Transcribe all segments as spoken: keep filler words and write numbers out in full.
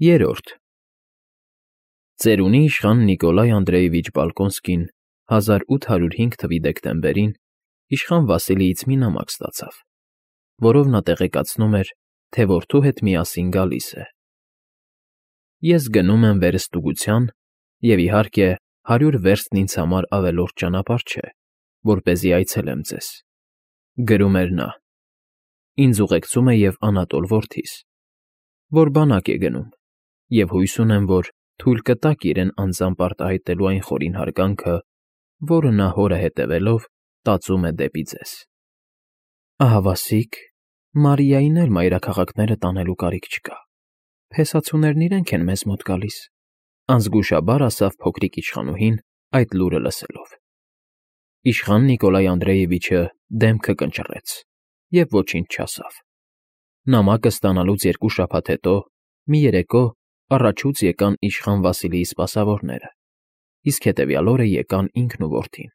Երրորդ Ծերունի իշխան Նիկոլայ Անդրեևիչ Բալկոնսկին հազար ութ հարյուր հինգ թվականի դեկտեմբերին իշխան Վասիլիից մի նամակ ստացավ, որով նա տեղեկացնում էր, թե որդու հետ միասին գալիս է. Ես գնում եմ վերստուգության, և, իհարկե, հարյուր վերստն ինձ համար ավելորդ ճանապարհ չէ, որպեսզի այցելեմ ձեզ, գրում էր նա, ինձ ուղեկցում է և Անատոլ որդիս, որ բանակ է գնում, և հույս ունեմ, որ թույլ կտաք իրեն անձամբ արտահայտելու այն խորին հարգանքը, որը նա հորը հետևելով տածում է դեպի ձեզ։ Ահավասիկ, Մարիային էլ մայրաքաղաքները տանելու կարիք չկա, փեսացուներն իրենք են մեզ մոտ գալիս, անզգուշաբար ասավ փոքրիկ իշխանուհին այդ լուրը լսելով։ Իշխան Նիկոլայ Անդրեևիչը դեմքը կնճռեց և ոչինչ չասավ։ Նամակը ստանալուց երկու շաբաթ հետո, մի երեկո, առաջուց եկան իշխան Վասիլիի սպասավորները, իսկ հետևյալ օրը եկան ինքն ու որդին։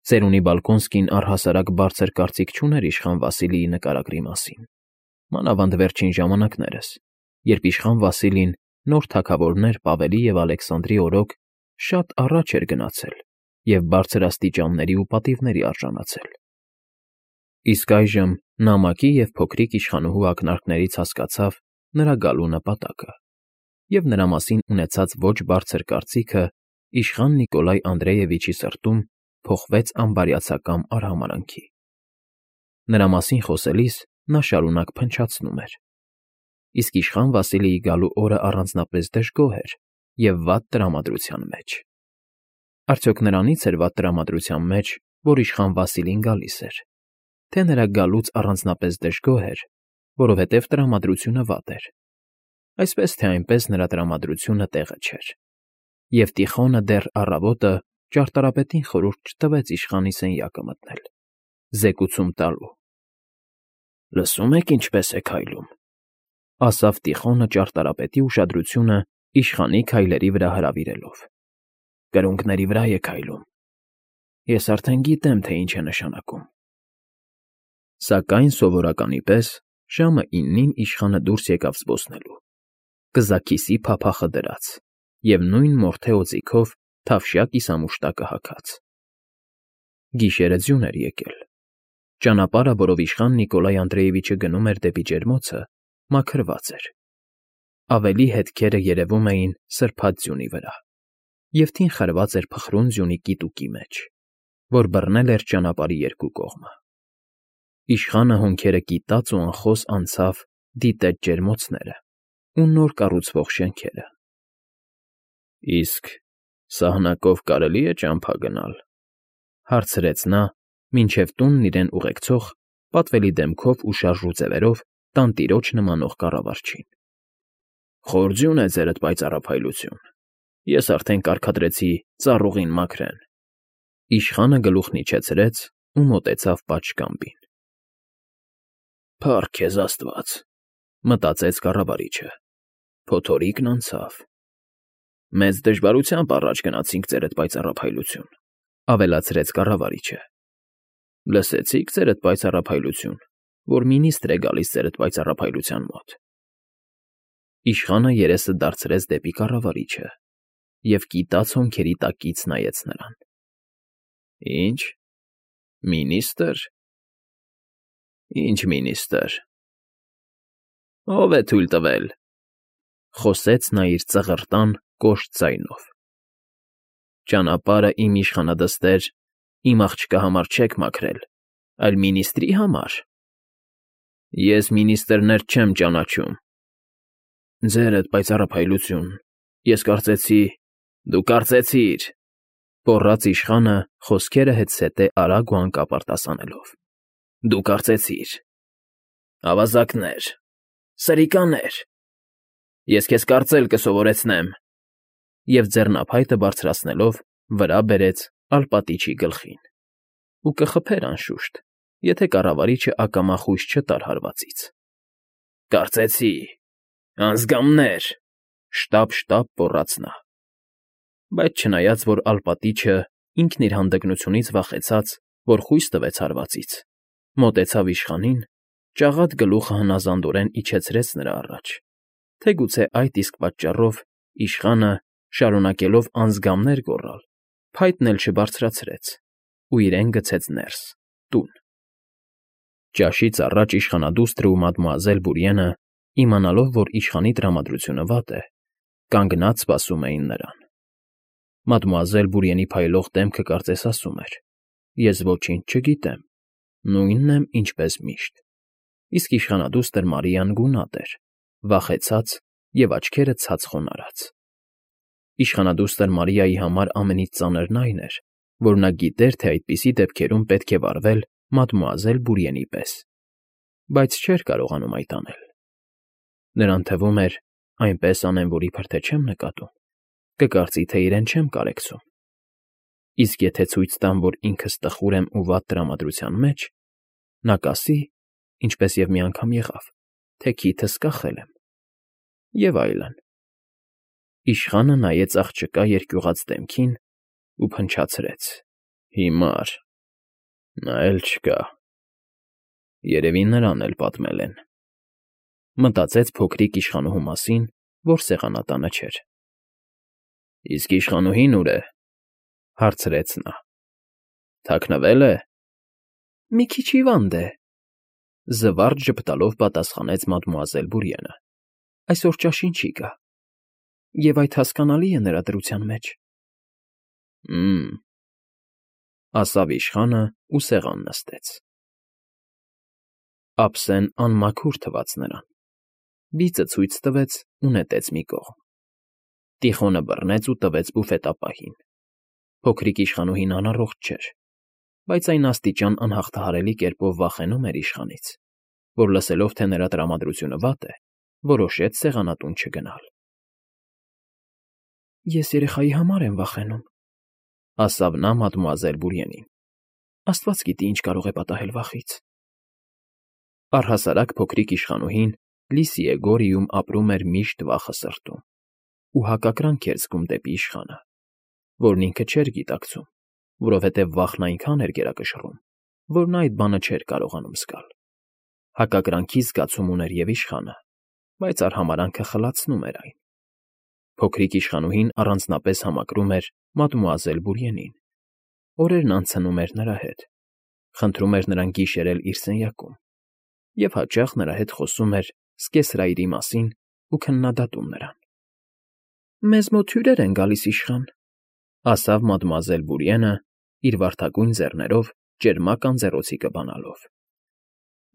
Ծերունի Բալկոնսկին առհասարակ բարձր կարծիք չուներ իշխան Վասիլիի նկարագրի մասին, մանավանդ վերջին ժամանակներս, երբ իշխան Վասիլին նոր թագավորներ Պավելի և Ալեքսանդրի օրոք շատ առաջ էր գնացել և բարձր աստիճանների ու պատիվների արժանացել։ Իսկ այժմ նամակի և փոքրիկ իշխանուհու ակնարկներից հասկացավ նրա գալու նպատակը, և նրա մասին ունեցած ոչ բարձր կարծիքը իշխան Նիկոլայ Անդրեևիչի սրտում փոխվեց անբարյացակամ արհամարհանքի։ Նրա մասին խոսելիս նա շարունակ փնչացնում էր. իսկ իշխան Վասիլիի գալու օրը առանձնապես դժգոհ էր և վատ տրամադրության մեջ։ Արդյոք նրանից էր վատ տրամադրության մեջ, որ իշխան Վասիլին գալիս էր, թե նրա գալուց առանձնապես դժգոհ էր, որովհետև տրամադրությունը վատ էր, այսպես թե այնպես նրա տրամադրությունը տեղը չէր, և Տիխոնը դեռ առավոտը ճարտարապետին խորհուրդ չտվեց իշխանի սենյակը մտնել, զեկուցում տալու։ Լսո՞ւմ եք ինչպես է քայլում, ասավ Տիխոնը ճարտարապետի ուշադրությունը իշխանի քայլերի վրա հրավիրելով։ Կրունկների վրա է քայլում։ Ես արդեն գիտեմ, թե ինչ է նշանակում։ Սակայն սովորականի պես ժամը իննին իշխանը դուրս եկավ զբոսնելու, կզաքիսի փափախը դրած և նույն մորթե օձիքով թավշյա կիսամուշտակը հագած։ Գիշերը ձյուն էր եկել։ Ճանապարհը, որով իշխան Նիկոլայ Անդրեևիչը գնում էր դեպի ջերմոցը, մաքրված էր։ Ավելի հետքերը երևում էին սրբած ձյունի վրա, և թին խրված էր փխրուն ձյունի կիտուկի մեջ, որ բռնել էր ճանապարհի երկու կողմը։ Իշխանը հոնքերը կիտած ու անխոս անցավ, դիտեց ջերմոցները ու նոր կառուցվող շենքերը։ Իսկ սահնակով կարելի՞ է ճամփա գնալ, հարցրեց նա, մինչև տունն իրեն ուղեկցող, պատվելի դեմքով ու շարժու ձևերով տանտիրոջ նմանող կառավարչին։ Խոր ձյուն է ձերդ պայծառափայլություն, ես արդեն կարգադրեցի ծառուղին մաքրեն։ Իշխանը գլուխն իջեցրեց ու մոտեցավ պատշգամբին։ Փառք քեզ Աստված, մտածեց կառավարիչը, փոթորիկն անցավ։ Մեծ դժվարությամբ առաջ գնացինք ձերդ պայծառափայլություն, ավելացրեց կառավարիչը։ Լսեցի՞ք ձերդ պայծառափայլություն, որ մինիստր է գալիս ձերդ պայծառափայլության մոտ։ Իշխանը երեսը դարձրեց դեպի կառավարիչը և կիտած հոնքերի տակից նայեց նրան։ Ինչ, մինիստ՞ր։ Ինչ մինիստ՞ր։ Ո՞վ է թույլ տվել, խոսեց նա իր ծղրտան, կոշտ ձայնով։ Ճանապարհը իմ իշխանադստեր, իմ աղջկա համար չեք մաքրել, այլ մինիստրի համար։ Ես մինիստրներ չեմ ճանաչում։ Ձերդ պայծառափայլություն, ես կարծեցի… Դու կարծեցիր, գոռաց իշխանը խոսքերը հետզհետե արագ ու հանկապ արտասանելով։ Դու կարծեցիր… Ավազակներ, սրիկաներ… Ես քեզ կարծել կսովորեցնեմ… Եվ ձեռնափայտը բարձրացնելով վրա բերեց ալպատիչի գլխին։ Ու կխփեր, անշուշտ, եթե կառավարիչը ակամա խույս չտար հարվածից։ Կարծեցի… Անձգամներ… Շտապ֊շտապ գոռաց նա։ Բայց չնայած որ ալպատիչը, ինքն իր հանդգնությունից վախեցած, որ խույս տվեց հարվածից, մոտեցավ իշխանին, ճաղատ գլուխը հնազանդորեն իջեցրեց նրա առաջ, թե գուցե այդ իսկ պատճառով իշխանը, շարունակելով անձգամներ գոռալ, փայտն էլ չբարձրացրեց ու իրեն գցեց ներս, տուն։ Ճաշից առաջ իշխանադուստրը ու մադմուազել Բուրիենը, իմանալով, որ իշխանի տրամադրությունը վատ է, կանգնած սպասում էին նրան։ Մադմուազել Բուրիենի փայլող դեմքը կարծես ասում էր. «Ես ոչինչ չգիտեմ, նույնն եմ, ինչպես միշտ»։ Իսկ իշխանադուստր Մարիան գունատ էր, վախեցած և աչքերը ցած խոնարհած։ Իշխանադուստր Մարիայի համար ամենից ծանրն այն էր, որ նա գիտեր, թե այդպիսի դեպքերում պետք է վարվել մադմուազել Բուրիենի պես, բայց չէր կարողանում այդ անել։ Նրան թվում էր, այնպես անեմ, որ իբր թե չեմ նկատում, կկարծի, թե իրեն չեմ կարեկցում։ Իսկ եթե ցույց տամ, որ ինքս տխուր եմ ու վատ տրամադրության մեջ, նա կասի, ինչպես և մի անգամ եղավ, թե քիթս կախել եմ, և այլն։ Իշխանը նայեց աղջկա երկյուղած դեմքին ու փնչացրեց. «Հիմար, նա էլ չկա, երևի նրան էլ պատմել են»։ Մտածեց փոքրիկ իշխանուհու մասին, որ սեղանատանը չէր։ «Իսկ իշխանուհին ուր է»։ Հարցրեց նա։ «Թաքնվել է»։ «Մի քիչ հիվանդ է», զվարճ ժպտալով պատասխանեց մադմուազել Բուրիենը։ «Այսօր ճաշին չի գա, և այդ հասկանալի է նրա դրության մեջ»։ «Հը՜մ», ասավ իշխանը ու սեղան նստեց։ Ափսեն անմաքուր թվաց նրան, բիծը ցույց տվեց ու նետեց մի կողմ։ Տիխոնը բռնեց ու տվեց բուֆետապահին։ Փոքրիկ իշխանուհին անառողջ չէր, բայց այն աստիճան անհաղթահարելի կերպով վախենում էր իշխանից, որ լսելով, թե նրա տրամադրությունը վատ է, որոշեց սեղանատուն չգնալ։ «Ես երեխայի համար եմ վախենում», ասավ նա մադմուազել Բուրիենին։ «Աստված գիտի, ինչ կարող է պատահել վախից»։ Առհասարակ փոքրիկ իշխանուհին Լիսիեգորիում ապրում էր միշտ վախը սրտում ու հակակրանք էր զգում դեպի իշխանը, որն ինքը չէր գիտակցում, որովհետև վախն այնքան էր գերակշռում, որ նա այդ բանը չէր կարողանում զգալ։ Հակակրանքի զգացում ուներ և իշխանը, բայց արհամարհանքը խլացնում էր այն։ Փոքրիկ իշխանուհին առանձնապես համակրում էր մադմուազել Բուրիենին, օրերն անցնում էր նրա հետ, խնդրում էր նրան գիշերել իր սենյակում և հաճախ նրա հետ խոսում էր սկեսրայրի մասին ու քննադատում նրան։ «Մեզ մոտ հյուրեր են գալիս, իշխան», ասավ մադմուազել Բուրիենը, իր վարդագույն ձեռներով ճերմակ անձեռոցիկը բանալով։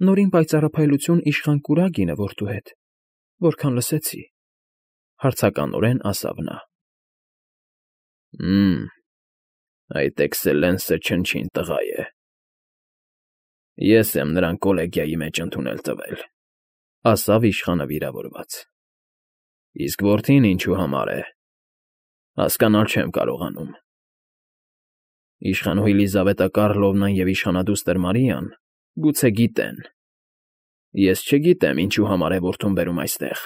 «Նորին պայծառափայլություն իշխան Կուրագինը որդու հետ, որքան լսեցի», հարցականորեն ասավ նա։ «Հը՜մ, այդ էքսելենսը չնչին տղա է։ Ես եմ նրան կոլեգիայի մեջ ընդունել տվել», ասավ իշխանը վիրավորված։ «Իսկ որդին ինչու համար է, հասկանալ չեմ կարողանում։ Իշխանուհի Լիզավետա Կարլովնան և իշխանադուստր Մարիան գուցե գիտեն, ես չգիտեմ ինչու համար է որդուն բերում այստեղ։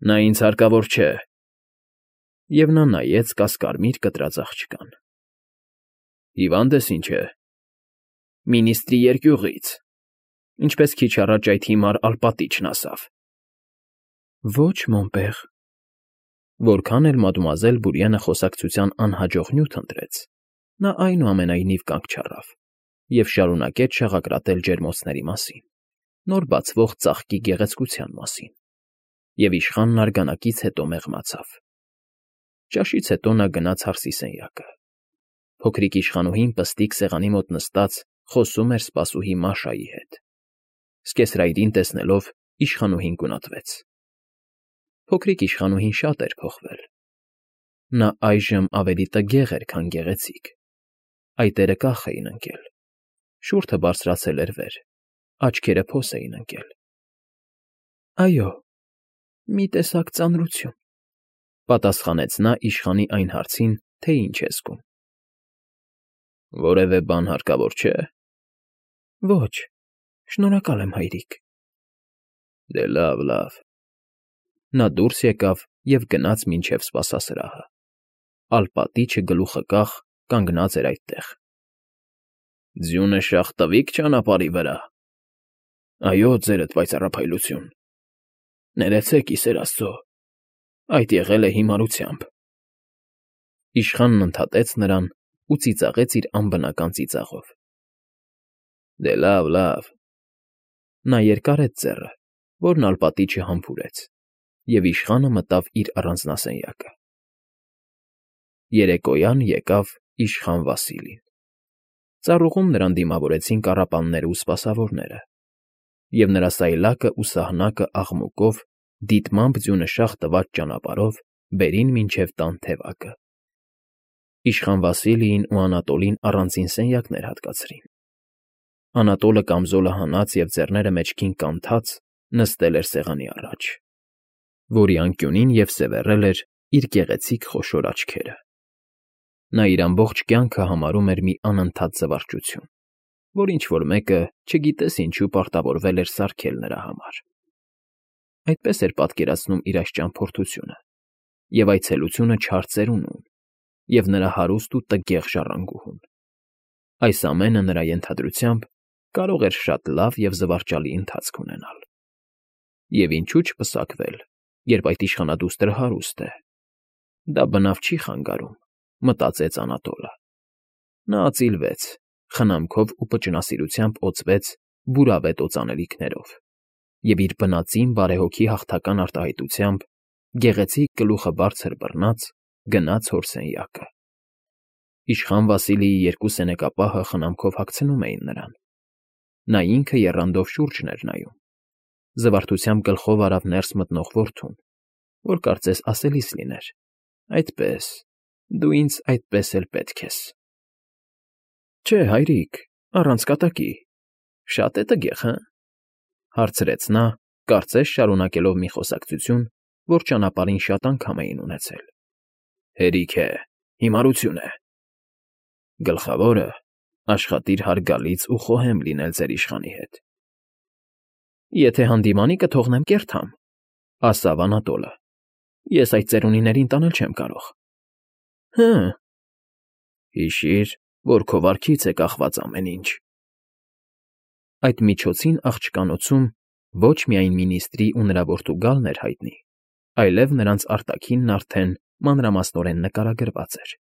Նա ինձ հարկավոր չէ»։ Եվ նա նայեց կասկարմիր կտրած աղջկան։ «Հիվա՞նդ ես, ինչ է»։ «Մինիստրի երկյուղից, ինչպես քիչ առաջ այդ հիմար ալպատիչն ասավ»։ «Ոչ, մոն պեր»։ Որքան էլ մադմուազել Բուրիենը խոսակցության անհաջող նյութ ընտրեց, նա այնուամենայնիվ կանգ չառավ և շարունակեց շաղակրատել ջերմոցների մասին, նոր բացվող ծաղկի գեղեցկության մասին, և իշխանն արգանակից հետո մեղմացավ։ Ճաշից հետո նա գնաց հարսի սենյակը։ Փոքրիկ իշխանուհին պստիկ սեղանի մոտ նստած խոսում էր սպասուհի Մաշայի հետ։ Սկեսրայրին տեսնելով իշխանուհին գունատվեց։ Փոքրիկ իշխանուհին շատ էր փոխվել։ Նա այժմ ավելի տգեղ էր, քան գեղեցիկ։ Այտերը կախ էին ընկել, շուրթը բարձրացել էր վեր, աչքերը փոս էին ընկել։ «Այո, մի տեսակ ծանրություն», պատասխանեց նա իշխանի այն հարցին, թե ինչ է զգում։ «Որևէ բան հարկավոր չէ»։ «Ոչ, շնորհակալ եմ, հայրիկ»։ «Դե լավ, լավ»։ Նա դուրս եկավ և գնաց մինչև սպասասրահը։ Ալպատիչը գլուխը կախ կանգնած էր այդտեղ։ «Ձյունը շաղ տվի՞ք ճանապարհի վրա»։ «Այո, ձերդ պայծառափայլություն»։ Ներեցեք, Իսեր Աստծո, այդ եղել է հիմարությամբ։ Իշխանն ընդհատեց նրան ու ծիծաղեց իր անբնական ծիծաղով։ Դե լավ, լավ։ Նա երկարեց ձեռը, որն ալպատի չհամբուրեց, և իշխանը մտավ իր առանձնասենյակը։ Երեկոյան եկավ իշխան Վասիլին։ Ծառուղում նրան դիմավորեցին կառապաններն ու սպասավորները, և նրա սայլակն ու սահնակը աղմուկով, դիտմամբ ձյունշաղ տված ճանապարհով բերին մինչև տան թևակը։ Իշխան Վասիլիին ու Անատոլին առանձին սենյակներ հատկացրին։ Անատոլը կամզոլը հանած և ձեռները մեջքին կանթած նստել էր սեղանի առաջ, որի անկյունին և սևեռել էր իր գեղեցիկ խոշոր աչքերը։ Նա իր ամբողջ կյանքը համարում էր մի անընդհատ զվարճություն, որ ինչ֊որ մեկը, չգիտես ինչու, պարտավորվել էր սարքել նրա համար։ Այդպես էր պատկերացնում իր այս ճամփորդությունը, և այցելությունը չար ծերունուն, և նրա հարուստ ու տգեղ ժառանգուհուն։ Այս ամենը, նրա ենթադրությամբ, կարող էր շատ լավ և զվարճալի ընթացք ունենալ։ Եվ ինչու չպսակվել, երբ այդ իշխանադուստրը հարուստ է։ Դա բնավ չի խանգարում, մտածեց Անատոլը։ Նա ածիլվեց, խնամքով ու պճնասիրությամբ օծվեց բուրավետ օծանելիքներով և իր բնածին բարեհոգի հաղթական արտահայտությամբ, գեղեցիկ գլուխը բարձր բռնած, գնաց հոր սենյակը։ Իշխան Վասիլիի երկու սենեկապահը խնամքով հագցնում էին նրան։ Նա ինքը եռանդով շուրջն էր նայում։ Զվարթությամբ գլխով արավ ներս մտնող որդուն, որ կարծես ասելիս լիներ. «Այդպես, դու ինձ այդպես էլ պետք ես»։ ֊ Չէ, հայրիկ, առանց կատակի, շատ է տգեղ, հը՞, հարցրեց նա, կարծես շարունակելով մի խոսակցություն, որ ճանապարհին շատ անգամ էին ունեցել։ ֊ Հերիք է, հիմարություն է։ Գլխավորը աշխատիր հարգալից ու խոհեմ լինել ձեր իշխանի հետ։ ֊ Եթե հանդիմանի կթողնեմ կերթամ, ֊ ասավ Անատոլը։ Ես այդ ծերունիներին տանել չեմ կարող։ ֊ Հը՛։ Հիշիր, որ քո վարքից է կախված ամեն ինչ։ Այդ միջոցին աղջկանոցում ոչ միայն մինիստրի ու նրա որդու գալն էր հայտնի, այլև նրանց արտաքինն արդեն մանրամասնորեն նկարագրված էր։